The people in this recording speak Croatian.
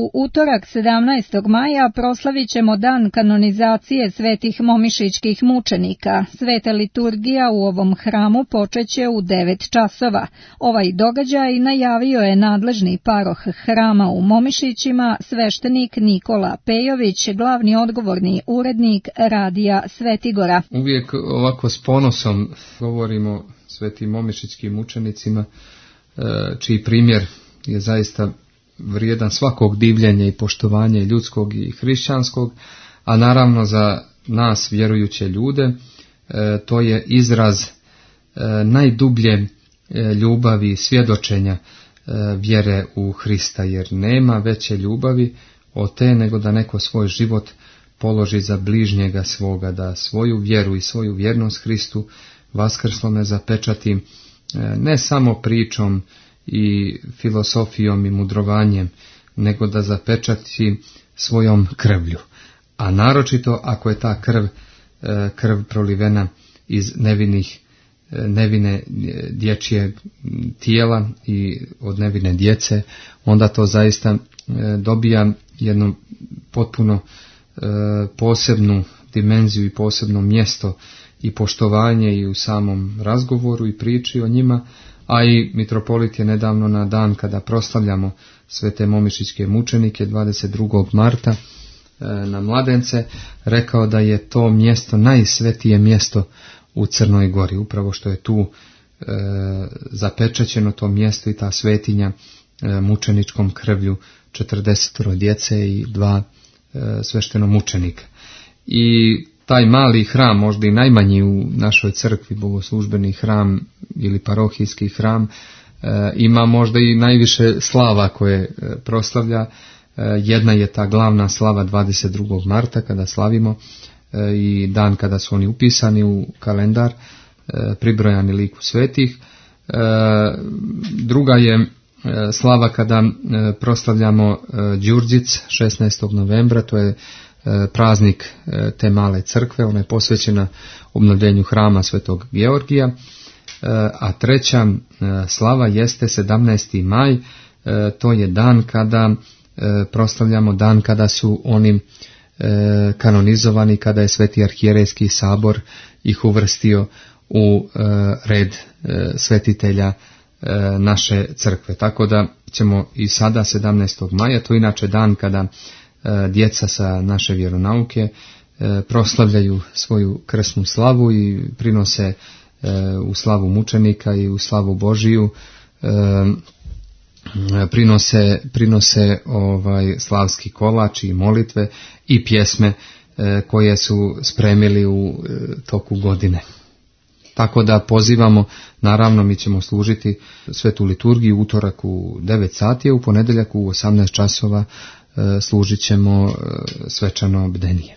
U utorak 17. maja proslavit ćemo dan kanonizacije svetih momišićkih mučenika. Sveta liturgija u ovom hramu počeće u 9 časova. Ovaj događaj najavio je nadležni paroh hrama u Momišićima, sveštenik Nikola Pejović, glavni odgovorni urednik radija Svetigora. Uvijek ovako s ponosom govorimo svetim momišićkim mučenicima, čiji primjer je zaista vrijedan svakog divljenja i poštovanja ljudskog i hrišćanskog, a naravno za nas vjerujuće ljude to je izraz najdublje ljubavi i svjedočenja vjere u Hrista, jer nema veće ljubavi od te nego da neko svoj život položi za bližnjega svoga, da svoju vjeru i svoju vjernost Hristu vaskrslome zapečati ne samo pričom i filosofijom i mudrovanjem, nego da zapečati svojom krvlju. A naročito ako je ta krv prolivena iz nevine dječje tijela i od nevine djece, onda to zaista dobija jednu potpuno posebnu dimenziju i posebno mjesto i poštovanje i u samom razgovoru i priči o njima. A i mitropolit je nedavno na dan kada proslavljamo svete momišićke mučenike 22. marta na Mladence rekao da je to mjesto najsvetije mjesto u Crnoj Gori, upravo što je tu zapečaćeno to mjesto i ta svetinja mučeničkom krvlju 40 djece i 2 sveštenomučenika. I taj mali hram, možda i najmanji u našoj crkvi, bogoslužbeni hram ili parohijski hram, ima možda i najviše slava koje proslavlja. Jedna je ta glavna slava 22. marta kada slavimo i dan kada su oni upisani u kalendar, pribrojani liku svetih. Druga je slava kada proslavljamo Đurđic 16. novembra, to je praznik te male crkve, ona je posvećena obnovljenju hrama Svetog Georgija. A treća slava jeste 17. maj, to je dan kada proslavljamo dan kada su oni kanonizovani, kada je Sveti arhijerejski sabor ih uvrstio u red svetitelja naše crkve. Tako da ćemo i sada 17. maja, to je inače dan kada djeca sa naše vjeronauke proslavljaju svoju krsnu slavu i prinose u slavu mučenika i u slavu Božiju, prinose slavski kolač i molitve i pjesme koje su spremili u toku godine. Tako da pozivamo, naravno mi ćemo služiti svetu liturgiju u utorak u 9 sati, a u ponedjeljak u 18 časova služit ćemo svečano bdenije.